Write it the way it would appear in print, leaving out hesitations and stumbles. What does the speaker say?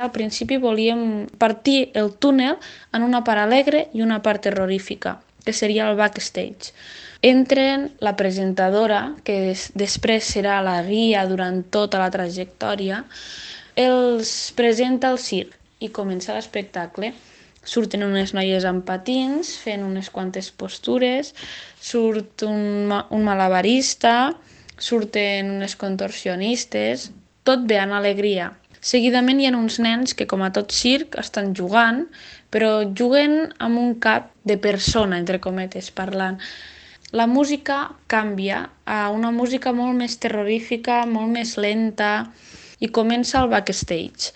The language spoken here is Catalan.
Al principi volíem partir el túnel en una part alegre i una part terrorífica, que seria el backstage. Entren la presentadora, que després serà la guia durant tota la trajectòria, els presenta el circ i comença l'espectacle. Surten unes noies amb patins fent unes quantes postures, surt un malabarista, surten unes contorsionistes, tot ve en alegria. Seguidament hi ha uns nens que, com a tot circ, estan jugant, però juguen amb un cap de persona, entre cometes, parlant. La música canvia a una música molt més terrorífica, molt més lenta, i comença el backstage.